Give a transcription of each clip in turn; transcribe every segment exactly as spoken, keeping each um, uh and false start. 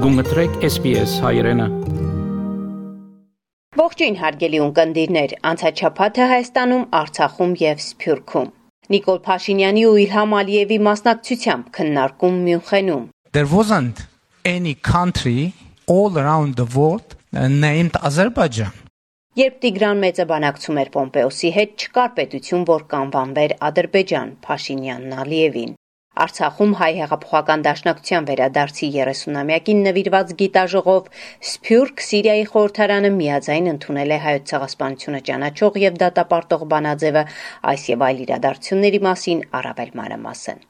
Գումտրեք S B S հայրենը։ Ողջույն հարգելի ունկնդիրներ, անցաչափաթը Հայաստանում, Արցախում եւ Սփյուռքում։ Նիկոլ Փաշինյանի ու Իլհամ Ալիևի մասնակցությամբ քննարկում Մյունխենում։ There wasn't any country all around the world named Azerbaijan. Երբ Տիգրան մեծը բանակցում էր Պոմպեոսի հետ, չկար պետություն, որ կանվանվեր Ադրբեջան, Փաշինյանն Ալիևին։ Արցախում հայ հեղափոխական դաշնակցության վերադարձի երեսունամյակին նվիրված գիտաժողով Սփյուռք Սիրիայի խորհրդարանը միաձայն ընդունել է հայոց ցեղասպանությունը ճանաչող եւ դատապարտող բանաձևը, այս եւ այլ իրադարձությունների մասին առավել մանրամասն։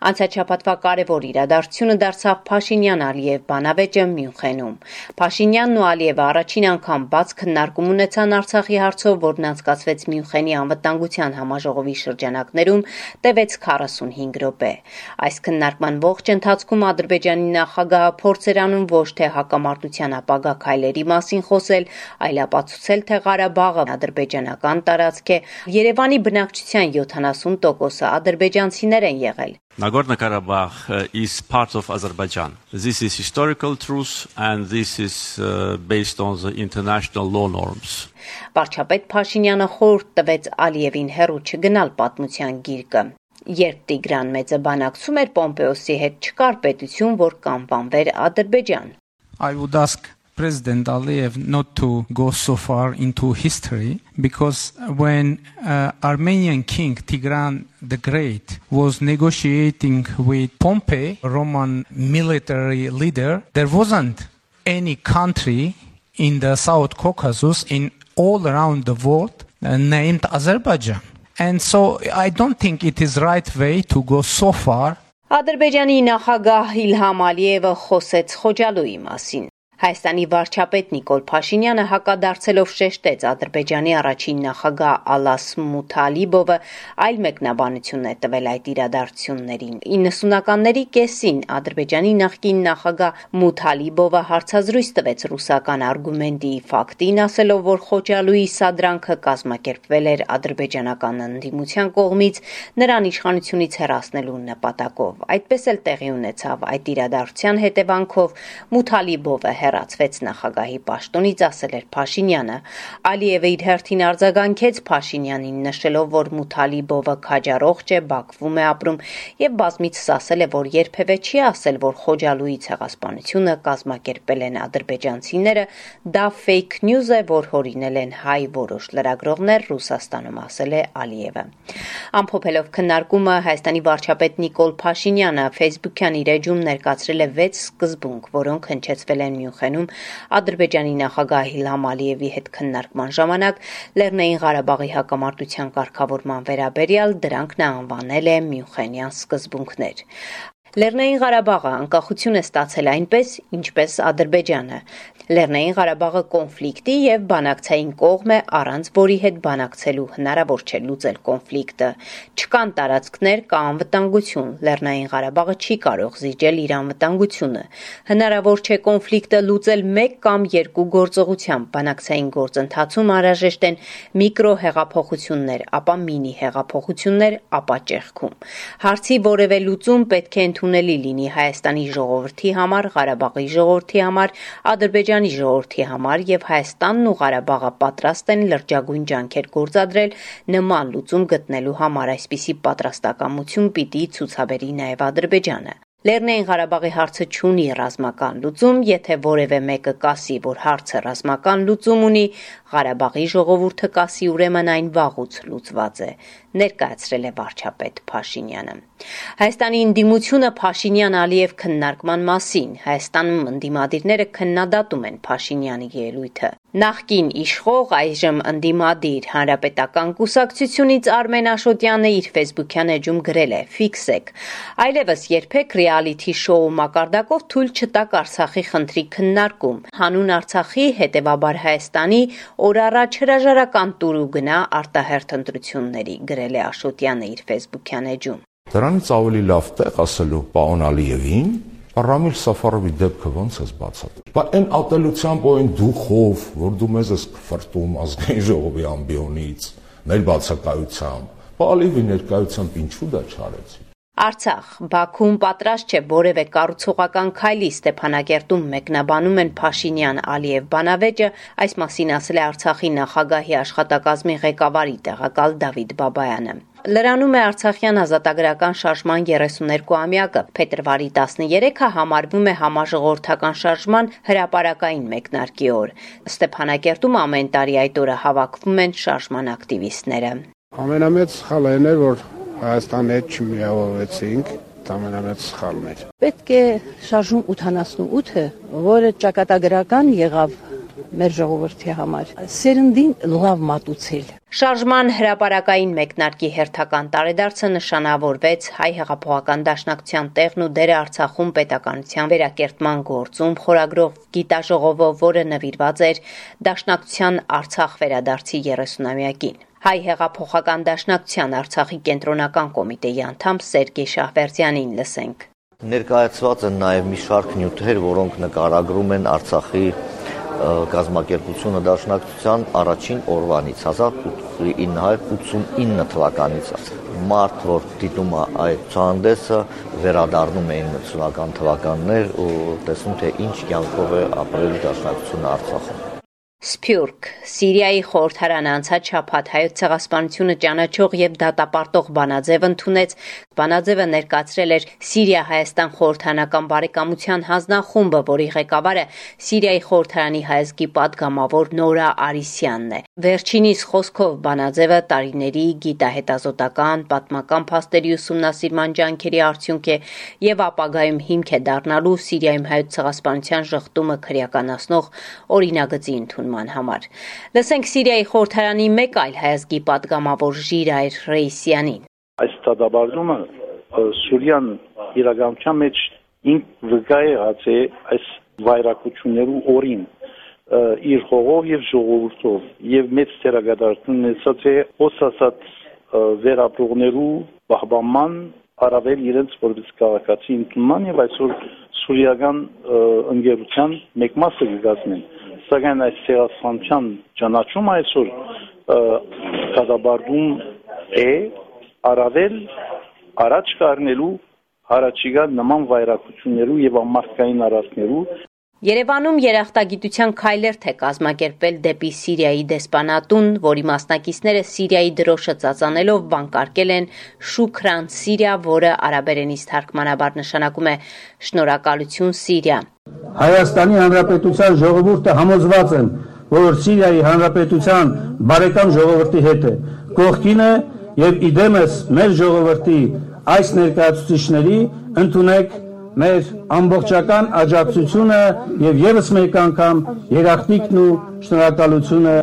Անցաչափաթվա կարևոր իրադարձությունը դարձավ Փաշինյան-Ալիև բանավեճը Մյունխենում։ Փաշինյանն ու Ալիևը առաջին անգամ բաց քննարկում ունեցան Արցախի հարցով, որն անցկացվեց Մյունխենի անվտանգության համաժողովի շրջանակներում, տևեց քառասունհինգ րոպե։ Այս քննարկման ողջ ընթացքում Ադրբեջանի նախագահը փորձ էր անում ոչ թե հակամարտության ապագա քայլերի մասին խոսել, այլ ապացուցել, թե Ղարաբաղը ադրբեջանական տարածք է, Երևանի բնակչության յոթանասուն տոկոսը ադրբեջանցիներ են եղել։ Nagorno-Karabakh is part of Azerbaijan. This is historical truth and this is uh, based on the international law norms. Վարչապետ Փաշինյանը խորհուրդ տվեց Ալիևին հեռու չգնալ պատմության գիրկը։ Երբ Տիգրան մեծը բանակցում էր Պոմպեոսի հետ, չկար պետություն, որ կանվանվեր Ադրբեջան։ I would ask President Aliyev not to go so far into history because when uh, Armenian King Tigran the Great was negotiating with Pompey, Roman military leader, there wasn't any country in the South Caucasus in all around the world uh, named Azerbaijan. And so I don't think it is right way to go so far. Ադրբեջանի նախագահ Իլհամ Ալիևը խոսեց Խոջալույի մասին։ Հայաստանի վարչապետ Նիկոլ Փաշինյանը հակադարձելով շեշտեց Ադրբեջանի առաջին նախագահ Ալաս Մութալիբովը այլ մեկնաբանություն է տվել այդ իրադարձություններին։ իննսունականների կեսին Ադրբեջանի նախկին նախագահ Մութալիբովը հարցազրույց տվեց ռուսական արգումենտի ֆակտին, ասելով, որ Խոջալույի սադրանքը կազմակերպվել էր ադրբեջանական ընդդիմության կողմից նրան իշխանությունից հեռացնելու նպատակով։ Այդպես էլ տեղի ունեցավ այդ իրադարձության հետևանքով Մութալիբովը հեռացվեց նախագահի պաշտոնից, ասել էր Փաշինյանը։ Ալիևը իր հերթին արձագանքեց Փաշինյանին, նշելով, որ Մութալիբովը քաջառողջ է, Բաքվում է ապրում եւ բազմիցս ասել է, որ երբևէ չի ասել, որ Խոջալույի ցեղասպանությունը կազմակերպել են ադրբեջանցիները, դա fake news է, որ հորինել են հայ որոշ լրագրողներ Ռուսաստանում, ասել է Ալիևը։ Ամփոփելով քննարկումը, Հայաստանի վարչապետ Նիկոլ Փաշինյանը Facebook-յան իր էջում ներկայացրել է վեց սկզբունք, որոնք հնչեցվել են Մյունխենում Ադրբեջանի նախագահ Իլհամ Ալիևի հետ քննարկման ժամանակ Լեռնային Ղարաբաղի հակամարտության կարգավորման վերաբերյալ դրանք նա անվանել է Մյունխենյան սկզբունքներ։ Լեռնային Ղարաբաղը անկախություն է ստացել այնպես, ինչպես Ադրբեջանը։ Լեռնային Ղարաբաղը կոնֆլիկտի եւ բանակցային կողմ է, առանց որի հետ բանակցելու հնարավոր չէ լուծել կոնֆլիկտը։ Չկան տարածքներ կա անվտանգություն, Լեռնային Ղարաբաղը չի կարող զիջել իր անվտանգությունը։ Հնարավոր չէ կոնֆլիկտը լուծել մեկ կամ երկու գործողությամբ, բանակցային գործընթացում անհրաժեշտ են միկրո հեղափոխություններ, ապա մինի հեղափոխություններ, ապա ճեղքում։ Հարցի որևէ լուծում պետք է ընդունելի լինի Հայաստանի ժողովրդի համար, Ղարաբաղի ժողովրդի համար, Ադրբեջանի ժողովրդի համար եւ Հայաստանն ու Ղարաբաղը պատրաստ են լրջագույն ջանքեր գործադրել նման լուծում գտնելու համար, այսպիսի պատրաստակամություն պիտի ցուցաբերի նաեւ Ադրբեջանը։ Լեռնային Ղարաբաղի հարցը չունի ռազմական լուծում, եթե որևէ մեկը կասի, որ հարցը ռազմական լուծում ունի, Ղարաբաղի ժողովուրդը կասի, ուրեմն այն վաղուց լուծված է, ներկայացրել է վարչապետ Փաշինյանը։ Հայաստանի ընդդիմությունը Փաշինյան-Ալիև քննարկման մասին, Հայաստանում ընդդիմադիրները քննադատում են Փաշինյանի ելույթը։ Նախկին իշխող, այժմ ընդդիմադիր Հանրապետական կուսակցությունից Արմեն Աշոտյանը իր Facebook-յան էջում գրել է. «Ֆիքսեք, այլևս երբեք ռեալիթի շոու մակարդակով թույլ չտաք Արցախի խնդրի քննարկում։ Հանուն Արցախի, հետևաբար Հայաստանի, օր առաջ հրաժարական տուր ու գնա արտահերթ ընտրությունների», գրել է Աշոտյանը իր Facebook-յան էջում։ Դրանից ավելի լավ տեղ ասելու պարոն Ալիևին, Ռամիլ Սաֆարովի դեպքը ոնց ես բացատրում։ Բայց այն ատելությամբ ու այն դուխով, որ դու մեզ ես ֆրտում ազգային ժողովի ամբիոնից, մեր բացակայությամբ, Ալիևի ներկայությամբ ինչու դա չարեցի։ Արցախ Բաքուն պատրաստ չէ որևէ կառուցողական քայլի Ստեփանակերտում մեկնաբանում են Փաշինյան-Ալիև բանավեճը, այս մասին ասել է Արցախի նախագահի աշխատակազմի ղեկավարի տեղակալ Դավիթ Բաբայանը։ Լրանում է Արցախյան ազատագրական շարժման երեսուներկուամյակը, փետրվարի տասներեքը համարվում է համաժողովրդական շարժման հրապարակային մեկնարկի օր։ Ստեփանակերտում ամեն տարի այդ օրը հավաքվում են շարժման ակտիվիստները։ Ամենամեծ սխալը այն էր, որ Հայաստանի հետ չմիավորվեցինք, դա ամենամեծ սխալն էր։ Պետք է շարժում ութանասունութը, որը ճակատագրական եղավ մեր ժողովրդի համար, սերնդին լավ մատուցել։ Շարժման հրապարակային մեկնարկի հերթական տարեդարձը նշանավորվեց Հայ հեղափոխական դաշնակցության տեղն ու դերը Արցախում պետականության վերակերտման գործում խորագրով գիտաժողովով, որը նվիրված էր Դաշնակցության Արցախ վերադարձի երեսունամյակին։ Հայ հեղափոխական դաշնակցության Արցախի կենտրոնական կոմիտեի անդամ Սերգեյ Շահվերդյանին լսենք։ Ներկայացված են նաև մի շարք նյութեր, որոնք նկարագրում են Արցախի կազմակերպությունը դաշնակցության առաջին օրվանից հազար ինը հարյուր ութսունինը թվականից մարդ, որ դիտում է այդ ցուցահանդեսը, վերադառնում էին մթնական թվականներ ու տեսնում թե ինչ կյանքով է ապրել դաշնակցությունը Արցախում։ Սփյուռք Սիրիայի խորհրդարանը անցած շաբաթ հայոց ցեղասպանությունը ճանաչող եւ դատապարտող բանաձև ընդունեց։ Բանաձևը ներկայացրել էր Սիրիա-Հայաստան խորհրդարանական բարեկամության հանձնախումբը, որի ղեկավարը Սիրիայի խորհրդարանի հայազգի падգամավոր Նորա Արիսյանն է։ Վերջինիս խոսքով բանաձևը տարիների գիտահետազոտական, պատմական փաստերի ուսումնասիրման ջանքերի արդյունք է եւ ապագայում հիմք է դառնալու Սիրիայում հայոց ցեղասպանության ժխտումը քրեականացնող օրինագծի ընդունման համար։ Լսենք Սիրիայի խորհրդարանի մեկ այլ հայազգի падգամավոր Ժիրայր Ռեյսյանին։ Այս դատաբարումը Սուրիան իրականության մեջ ինք վկա եղած է այս վայրակություններու օրին իր հողով եւ ժողովրդով եւ մեծ թերագադարություն ունեցած է հոսասած վերապրողներու բահբանման առավել իրենց որպես քաղաքացի ընդունման եւ այսօր սուրիական ընկերության մեկ մասը կգազմեն։ Սակայն այս ցեղասպանության ճանաչումը այսօր դատաբարում է առավել առաջ կառնելու հարաճիգա նման վայրակություններու եւ ամարտկային արարքներու։ Երևանում երախտագիտության քայլերթ է կազմակերպվել դեպի Սիրիայի դեսպանատուն, որի մասնակիցները Սիրիայի դրոշը ծածանելով վանկարկել են Շուքրան Սիրիա, որը արաբերենից թարգմանաբար նշանակում է շնորհակալություն Սիրիա։ Հայաստանի Հանրապետության ժողովուրդը համոզված են, որ Սիրիայի Հանրապետության բարեկամ ժողովրդի հետ է, կողքին է եւ իդեմս մեր ժողովրդի այս ներկայացուցիչների ընդունեք մեր ամբողջական աջակցությունը եւ եւս մեկ անգամ երախտիկն ու շնորհակալությունը։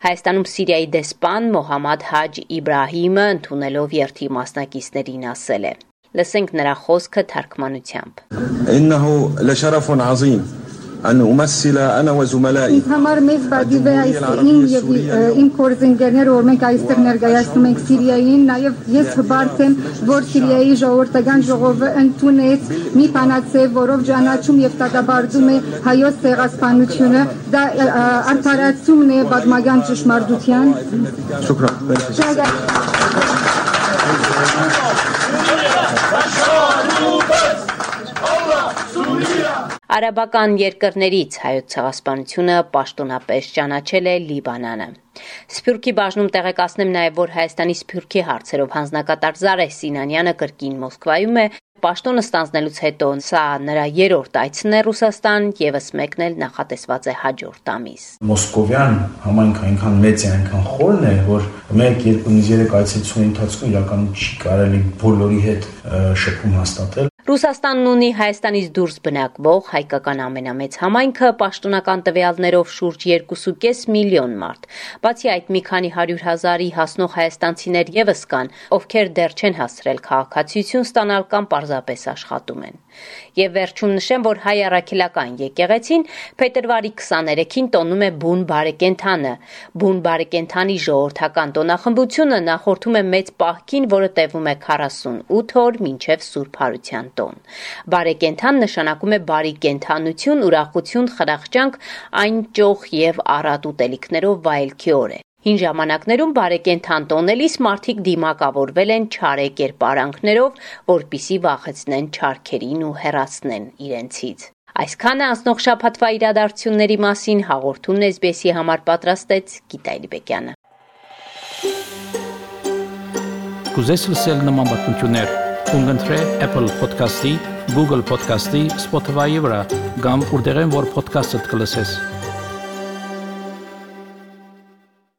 Հայաստանում Սիրիայի դեսպան Մոհամմադ Հաջ Իբրահիմը ընդունելով երթի մասնակիցներին ասել է։ Լսենք նրա խոսքը թարգմանությամբ։ إنه لشرف عظيم أن أمثل أنا وزملائي Համար մեծ բադիվ է այստեղին եւ իմ կորզինգերները, որ մենք այստեղ ներկայացնում ենք Սիրիային, նաեւ ես հբարտ եմ, որ Սիրիայի ժողովրդական ժողովը ընդունեց մի բանաձև, որով ճանաչում եւ դատաբարդում է հայոց ցեղասպանությունը, դա արդարացումն է պատմական ճշմարտության։ Շնորհակալ։ Արաբական երկրներից հայոց ցեղասպանությունը պաշտոնապես ճանաչել է Լիբանանը։ Սփյուռքի բաժնում տեղեկացնեմ նաև, որ Հայաստանի Սփյուռքի հարցերով հանձնակատար Զարեհ Սինանյանը կրկին Մոսկվայում է։ Պաշտոնը ստանձնելուց հետո սա նրա երրորդ այցն է Ռուսաստան, եւս մեկն էլ նախատեսված է հաջորդ ամիս։ Մոսկովյան համայնքը այնքան մեծ է, այնքան խորն է, որ մեկ-երկու երեք այցելությունների ընթացքում իրականում չի կարելի բոլորի հետ շփում հաստատել։ Ռուսաստանն ունի Հայաստանից դուրս բնակվող հայկական ամենամեծ համայնքը, պաշտոնական տվյալներով շուրջ երկու կես միլիոն մարդ։ Բացի այդ, մի քանի հարյուր հազարի հասնող հայաստանցիներ եւս կան, ովքեր դեռ չեն հասցրել քաղաքացիություն ստանալ կամ պարզապես աշխատում են։ Եվ վերջում նշեմ, որ հայ առաքելական եկեղեցին փետրվարի քսաներեքին տոնում է բուն բարեկենդանը։ Բուն բարեկենդանի ժողովրդական տոնախմբությունը նախորդում է մեծ պահքին, որը տևում է քառասունութ օր մինչև Սուրբ Հարության տոն։ Բարեկենդան նշանակում է բարի կենդանություն, ուրախություն, խրախճանք, այն ճոխ եւ առատ ուտելիքներով վայելքի օր է։ Հին ժամանակներում բարեկենդան տոնելիս մարդիկ դիմակավորվել են չարե կերպարանքներով, որպիսի վախեցնեն չարքերին ու հեռացնեն իրենցից։ Այսքանը անցնող շաբաթվա իրադարձությունների մասին հաղորդումն էս բի էսի համար պատրաստեց Գիտա Իլիբեկյանը։ Կուզես լսել նման բանություններ, կընտրե Apple Podcast-ի, Google Podcast-ի, Spotify-ի վրա, կամ որտեղեն որ podcast-ը կլսես։